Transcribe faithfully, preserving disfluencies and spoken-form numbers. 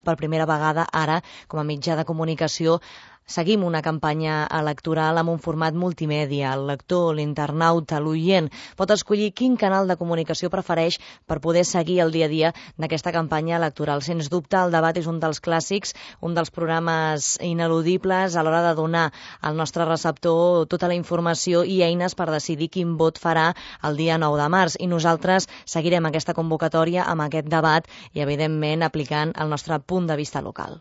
per primera vegada ara, com a mitjà de comunicació, seguim una campanya electoral amb un format multimèdia. El lector, l'internauta, l'oient pot escollir quin canal de comunicació prefereix per poder seguir el dia a dia d'aquesta campanya electoral. Sens dubte, el debat és un dels clàssics, un dels programes ineludibles a l'hora de donar al nostre receptor tota la informació i eines per decidir quin vot farà el dia nou de març. I nosaltres seguirem aquesta convocatòria amb aquest debat i, evidentment, aplicant el nostre punt de vista local.